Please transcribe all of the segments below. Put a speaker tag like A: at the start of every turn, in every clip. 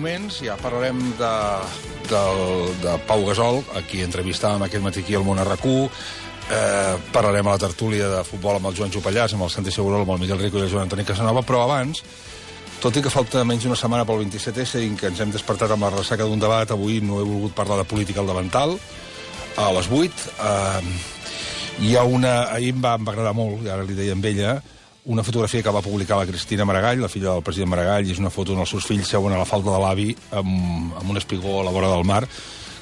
A: moments ja parlarem de Pau Gasol, a qui entrevistàvem aquest matí aquí al Món RQ. Parlarem a la tertúlia de futbol amb el Joan Jopallàs, amb el Santi Segurola, amb el Miguel Rico i el Joan Antoni Casanova, però abans, tot i que falta menys d'una setmana pel 27S i que ens hem despertat amb la ressaca d'un debat, avui no he volgut parlar de política al davantal, a les 8. Hi ha ahir em va agradar molt, i ara li deia amb ella, una fotografia que va publicar la Cristina Maragall, la filla del president Maragall, i és una foto on els seus fills seuen a la falda de l'avi amb un espigó a la vora del mar.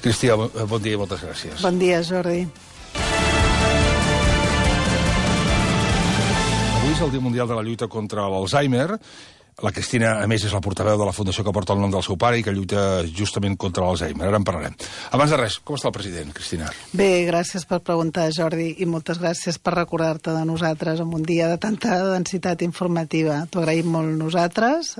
A: Cristina, bon dia i moltes gràcies.
B: Bon dia, Jordi.
A: Avui és el Dia Mundial de la Lluita contra l'Alzheimer. La Cristina, a més, és la portaveu de la fundació que porta el nom del seu pare i que lluita justament contra l'Alzheimer. Ara en parlarem. Abans de res, com està el president, Cristina?
B: Bé, gràcies per preguntar, Jordi, i moltes gràcies per recordar-te de nosaltres en un dia de tanta densitat informativa. T'ho agraïm molt nosaltres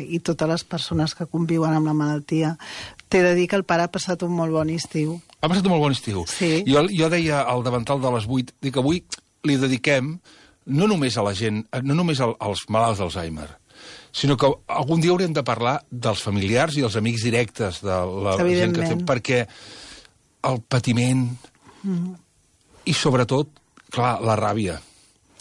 B: i totes les persones que conviuen amb la malaltia. T'he de dir que el pare ha passat un molt bon estiu.
A: Ha passat un molt bon estiu.
B: Sí.
A: Jo deia al davantal de les 8, dic que avui li dediquem no només a la gent, no només als malalts d'Alzheimer, sinó que algun dia haurem de parlar dels familiars i els amics directes de la gent que té, perquè el patiment i sobretot, clar, la ràbia.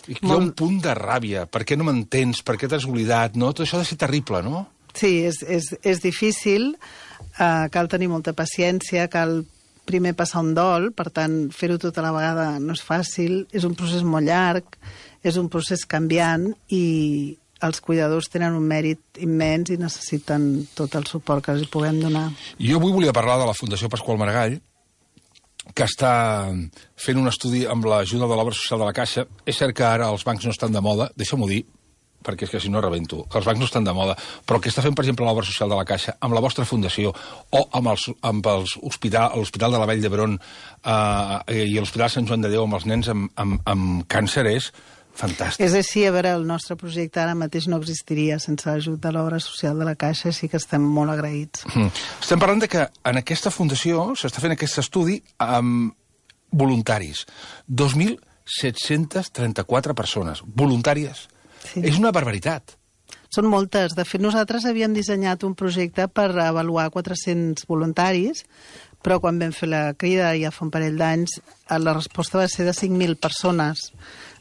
A: I hi ha un punt de ràbia. Per què no m'entens? Per què t'has oblidat? No? Tot això ha de ser terrible, no?
B: Sí, és difícil, cal tenir molta paciència, cal primer passar un dol, per tant, fer-ho tota la vegada no és fàcil, és un procés molt llarg, és un procés canviant i els cuidadors tenen un mèrit immens i necessiten tot el suport que els puguem donar.
A: Jo avui volia parlar de la Fundació Pasqual Maragall, que està fent un estudi amb l'ajuda de l'obra social de la Caixa. És cert que ara els bancs no estan de moda, deixa'm-ho dir, perquè és que si no rebento, que els bancs no estan de moda, però el que està fent, per exemple, l'obra social de la Caixa, amb la vostra fundació, o amb l'Hospital de la Vall d'Hebron i l'Hospital Sant Joan de Déu amb els nens amb càncer, és fantàstic.
B: És així, a veure, el nostre projecte ara mateix no existiria sense l'ajut de l'obra social de la Caixa, sí que estem molt agraïts.
A: Estem parlant de que en aquesta fundació s'està fent aquest estudi amb voluntaris. 2.734 persones voluntàries. Sí. És una barbaritat.
B: Són moltes. De fet, nosaltres havíem dissenyat un projecte per avaluar 400 voluntaris, però quan vam fer la crida ja fa un parell d'anys, la resposta va ser de 5.000 persones.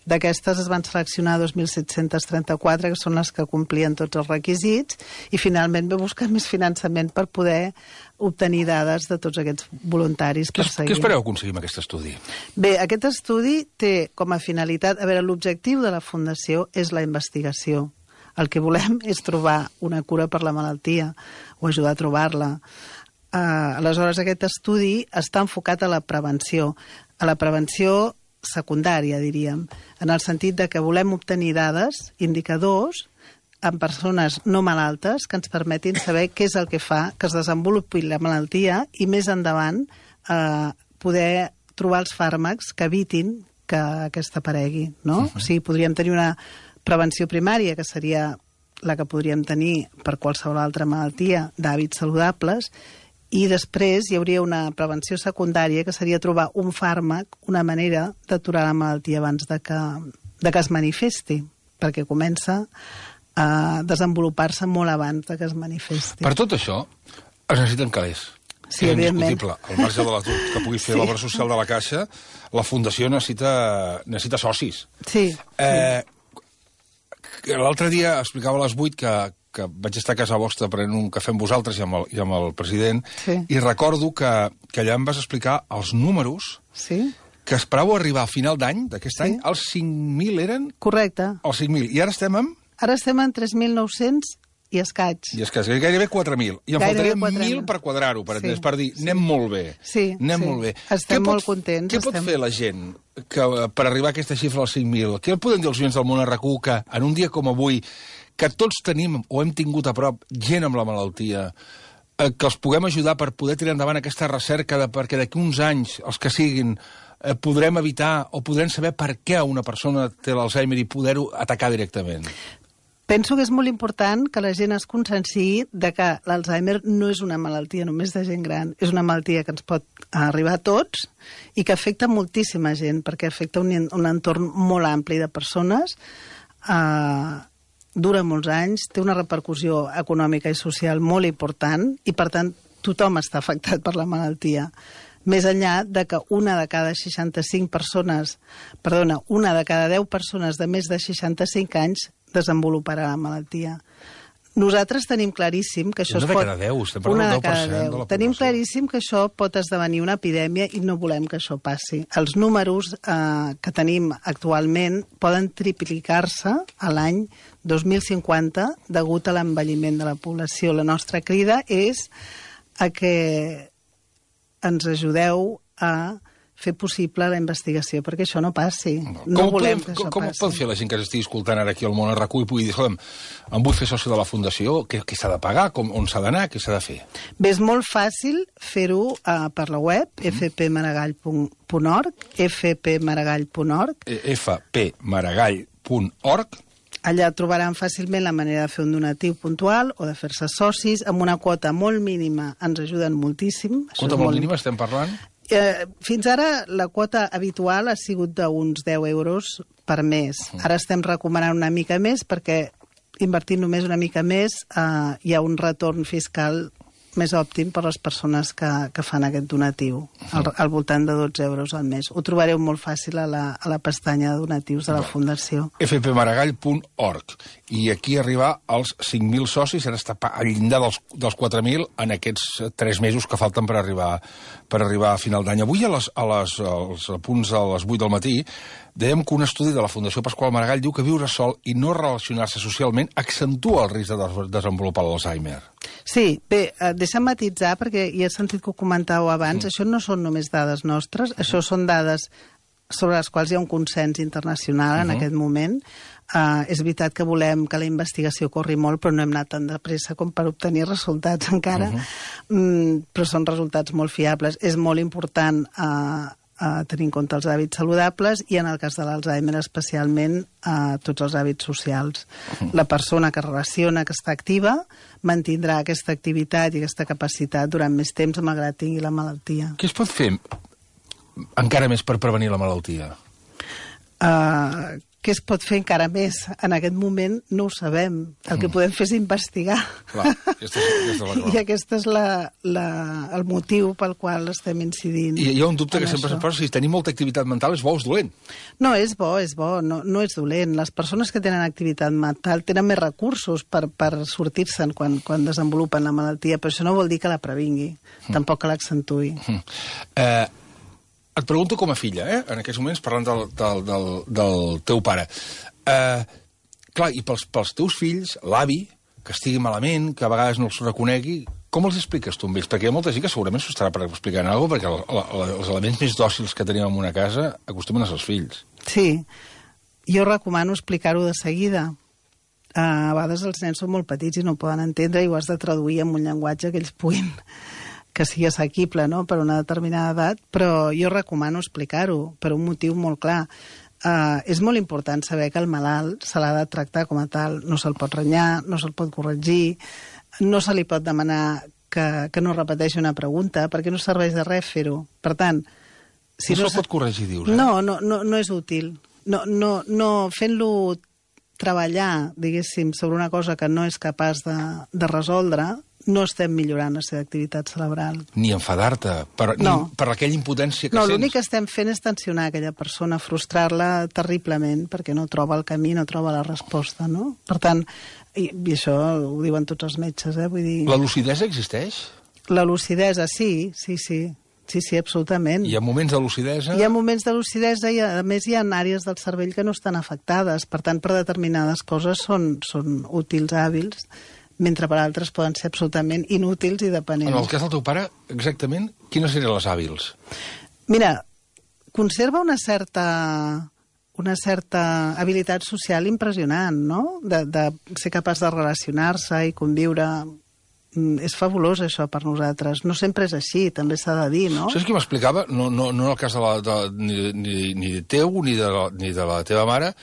B: D'aquestes es van seleccionar 2.734, que són les que complien tots els requisits, i finalment vam buscar més finançament per poder obtenir dades de tots aquests voluntaris per seguir.
A: Què espereu aconseguir amb aquest estudi?
B: Bé, aquest estudi té com a finalitat... A veure, l'objectiu de la Fundació és la investigació. El que volem és trobar una cura per la malaltia o ajudar a trobar-la. Aleshores, aquest estudi està enfocat a la prevenció secundària, diríem, en el sentit de que volem obtenir dades, indicadors, en persones no malaltes que ens permetin saber què és el que fa que es desenvolupi la malaltia i més endavant poder trobar els fàrmacs que evitin que aquesta aparegui, no? O sigui, podríem tenir una prevenció primària, que seria la que podríem tenir per qualsevol altra malaltia d'hàbits saludables, i després hi hauria una prevenció secundària, que seria trobar un fàrmac, una manera d'aturar la malaltia abans de que es manifesti, perquè comença a desenvolupar-se molt abans de que es manifesti.
A: Per tot això, es necessiten calés.
B: Sí,
A: és
B: evidentment.
A: indiscutible. Al marge de l'atur que pugui fer l'obra social de la Caixa, la Fundació necessita socis.
B: Sí.
A: L'altre dia explicava a les 8 que vaig estar a casa vostra prenent un cafè amb vosaltres i amb el president,
B: sí.
A: I recordo que allà em vas explicar els números que esperàveu arribar a final d'any, d'aquest any, els 5.000 eren?
B: Correcte.
A: Els 5.000. I ara estem en?
B: Ara estem en 3.900 i escaig.
A: I escaig, gairebé 4.000. I en faltaria 1.000 per quadrar-ho, per dir, anem molt bé.
B: Sí,
A: molt bé.
B: Estem molt contents.
A: Què pot fer la gent per arribar a aquesta xifra als 5.000? Què podem dir als oients del Món RQ que en un dia com avui, que tots tenim o hem tingut a prop gent amb la malaltia, que els puguem ajudar per poder tirar endavant aquesta recerca perquè d'aquí uns anys, els que siguin, podrem evitar o podrem saber per què una persona té l'Alzheimer i poder-ho atacar directament?
B: Penso que és molt important que la gent es conscienciï de que l'Alzheimer no és una malaltia només de gent gran, és una malaltia que ens pot arribar a tots i que afecta moltíssima gent, perquè afecta un entorn molt ampli de persones dura molts anys, té una repercussió econòmica i social molt important i, per tant, tothom està afectat per la malaltia. Més enllà de que una de cada 10 persones de més de 65 anys desenvoluparà la malaltia. Nosaltres tenim claríssim que això
A: Una de cada 10, estem parlant del 10% de la població.
B: Tenim claríssim que això pot esdevenir una epidèmia i no volem que això passi. Els números que tenim actualment poden triplicar-se a l'any 2050 degut a l'envelliment de la població. La nostra crida és a que ens ajudeu a fer possible la investigació perquè això no passi. No volem que això passi.
A: Com pot fer la gent que estigui escoltant ara aquí al Món RQ i pugui dir, escolta'm, em vull fer soci de la Fundació, què s'ha de pagar, on s'ha d'anar, què s'ha de fer?
B: Bé, és molt fàcil fer-ho per la web, fpmaragall.org, fpmaragall.org. fpmaragall.org. Allà trobaran fàcilment la manera de fer un donatiu puntual o de fer-se socis. Amb una quota molt mínima ens ajuden moltíssim.
A: Quota molt mínima estem parlant?
B: Fins ara la quota habitual ha sigut d'uns 10 euros per mes. Ara estem recomanant una mica més perquè invertint només una mica més hi ha un retorn fiscal més òptim per a les persones que fan aquest donatiu, al voltant de 12 euros al mes. Ho trobareu molt fàcil a la pestanya de donatius de la Fundació.
A: fpmaragall.org. I aquí arribar als 5.000 socis, ara està al llindar dels 4.000 en aquests 3 mesos que falten per arribar a final d'any. Avui, als punts a les 8 del matí, dèiem que un estudi de la Fundació Pasqual Maragall diu que viure sol i no relacionar-se socialment accentua el risc de desenvolupar l'Alzheimer.
B: Sí, bé, deixa'm matitzar, perquè ja he sentit que ho comentàveu abans, això no són només dades nostres, això són dades sobre les quals hi ha un consens internacional en aquest moment. És veritat que volem que la investigació corri molt, però no hem anat tan de pressa com per obtenir resultats encara, però són resultats molt fiables. És molt important tenir en compte els hàbits saludables i, en el cas de l'Alzheimer, especialment tots els hàbits socials. La persona que relaciona, que està activa, mantindrà aquesta activitat i aquesta capacitat durant més temps, malgrat tingui la malaltia.
A: Què es pot fer encara més per prevenir la malaltia?
B: Què es pot fer encara més? En aquest moment no ho sabem. El que podem fer és investigar.
A: Clar, aquesta és la
B: I aquest és el motiu pel qual estem incidint.
A: I hi ha un dubte que sempre se'n posa, si tenir molta activitat mental és bo o és dolent?
B: No, és bo, no és dolent. Les persones que tenen activitat mental tenen més recursos per sortir-se'n quan desenvolupen la malaltia, però això no vol dir que la previngui, tampoc que l'accentuï.
A: Et pregunto com a filla, en aquests moments, parlant del teu pare. Clar, i pels teus fills, l'avi, que estigui malament, que a vegades no els reconegui, com els expliques tu amb ells? Perquè hi ha molta gent que segurament s'ho estarà explicant alguna cosa, perquè els elements més dòcils que tenim en una casa acostumen a ser els fills.
B: Sí, jo recomano explicar-ho de seguida. A vegades els nens són molt petits i no poden entendre i ho has de traduir en un llenguatge que ells puguin, que sigui assequible, no?, per una determinada edat, però jo recomano explicar-ho per un motiu molt clar. És molt important saber que el malalt se l'ha de tractar com a tal. No se'l pot renyar, no se'l pot corregir, no se li pot demanar que no repeteixi una pregunta, perquè no serveix de res fer-ho. Per tant,
A: si no se'l pot corregir, dius,
B: No és útil. No fent-lo treballar, diguéssim, sobre una cosa que no és capaç de resoldre, no estem millorant la seva activitat cerebral.
A: Ni enfadar-te per aquella impotència que sents.
B: No, l'únic que estem fent és tensionar aquella persona, frustrar-la terriblement, perquè no troba el camí, no troba la resposta, no? Per tant, i això ho diuen tots els metges, vull dir...
A: La lucidesa existeix?
B: La lucidesa, sí, absolutament.
A: Hi ha moments de lucidesa?
B: Hi ha moments de lucidesa i, a més, hi ha àrees del cervell que no estan afectades. Per tant, per determinades coses són útils, hàbils, mentre per altres poden ser absolutament inútils i dependents.
A: En el cas del teu pare, exactament, quines serien les hàbils?
B: Mira, conserva una certa habilitat social impressionant, no?, de ser capaç de relacionar-se i conviure. És fabulós, això, per nosaltres. No sempre és així, també s'ha de dir, no?
A: Saps qui m'explicava? No en el cas ni teu ni de la teva mare,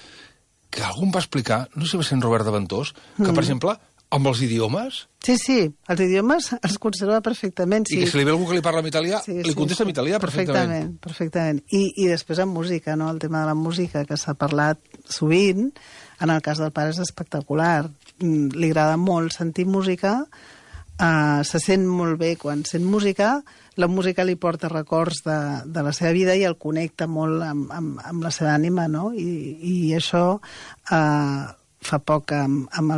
A: que algú em va explicar, no sé si va ser en Robert de Ventós, que, per exemple, amb els idiomes...
B: Sí, els idiomes els conserva perfectament.
A: I que si li ve algú que li parla en italià, li contesta en italià perfectament.
B: Perfectament. I després amb música, no?, el tema de la música, que s'ha parlat sovint. En el cas del pare és espectacular. Li agrada molt sentir música, se sent molt bé quan sent música, la música li porta records de la seva vida i el connecta molt amb la seva ànima, no? I això, fa poc, amb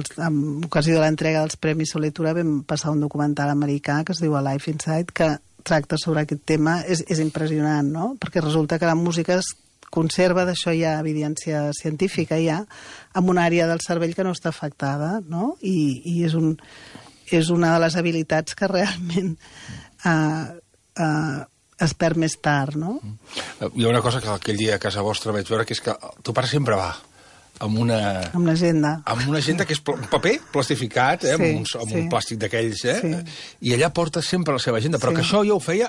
B: ocasió de l'entrega dels Premis Solitura, vam passar un documental americà que es diu A Life Inside, que tracta sobre aquest tema. És impressionant, no? Perquè resulta que la música es conserva, d'això hi ha evidència científica ja, amb una àrea del cervell que no està afectada, no? I és una de les habilitats que realment es perd més tard, no?
A: Hi ha una cosa que aquell dia a casa vostra vaig veure, que és que tu pare sempre va amb una...
B: Amb l'agenda.
A: Amb una agenda que és un paper plastificat, amb un plàstic d'aquells,
B: Sí.
A: I allà porta sempre la seva agenda, però que això ja ho feia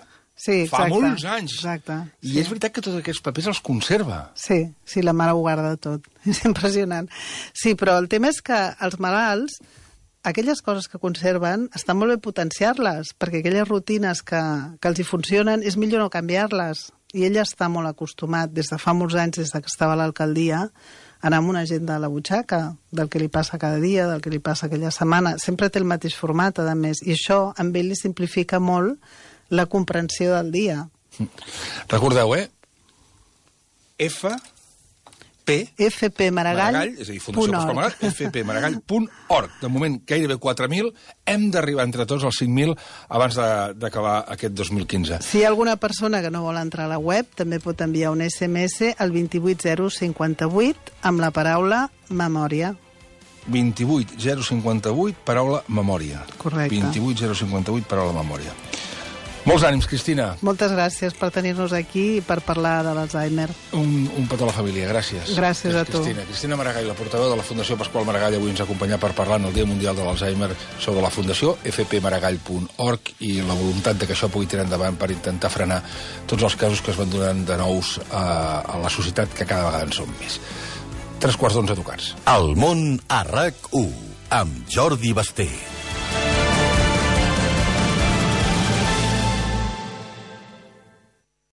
A: fa molts anys.
B: Exacte.
A: I és veritat que tots aquests papers els conserva.
B: Sí, la mare ho guarda tot. És impressionant. Sí, però el tema és que els malalts, aquelles coses que conserven, està molt bé potenciar-les, perquè aquelles rutines que els hi funcionen, és millor no canviar-les. I ell està molt acostumat, des de fa molts anys, des que estava a l'alcaldia, anar amb una agenda a la butxaca, del que li passa cada dia, del que li passa aquella setmana. Sempre té el mateix format, a més, i això amb ell li simplifica molt la comprensió del dia.
A: Recordeu,
B: fpmaragall.org.
A: és a dir, Fundació Pasqual Maragall, fpmaragall.org. De moment, gairebé 4.000. Hem d'arribar entre tots als 5.000 abans d'acabar aquest 2015.
B: Si hi ha alguna persona que no vol entrar a la web, també pot enviar un SMS al 28058 amb la paraula memòria.
A: 28058, paraula memòria.
B: Correcte.
A: 28058, paraula memòria. Molts ànims, Cristina.
B: Moltes gràcies per tenir-nos aquí i per parlar de l'Alzheimer.
A: Un petó a la família, gràcies.
B: Gràcies a tu.
A: Cristina Maragall, la portaveu de la Fundació Pasqual Maragall, avui ens acompanya per parlar en el Dia Mundial de l'Alzheimer sobre la Fundació, fpmaragall.org, i la voluntat de que això pugui tirar endavant per intentar frenar tots els casos que es van donant de nous a la societat, que cada vegada en són més. 3:15 tocats.
C: El món a RAC1, amb Jordi Basté.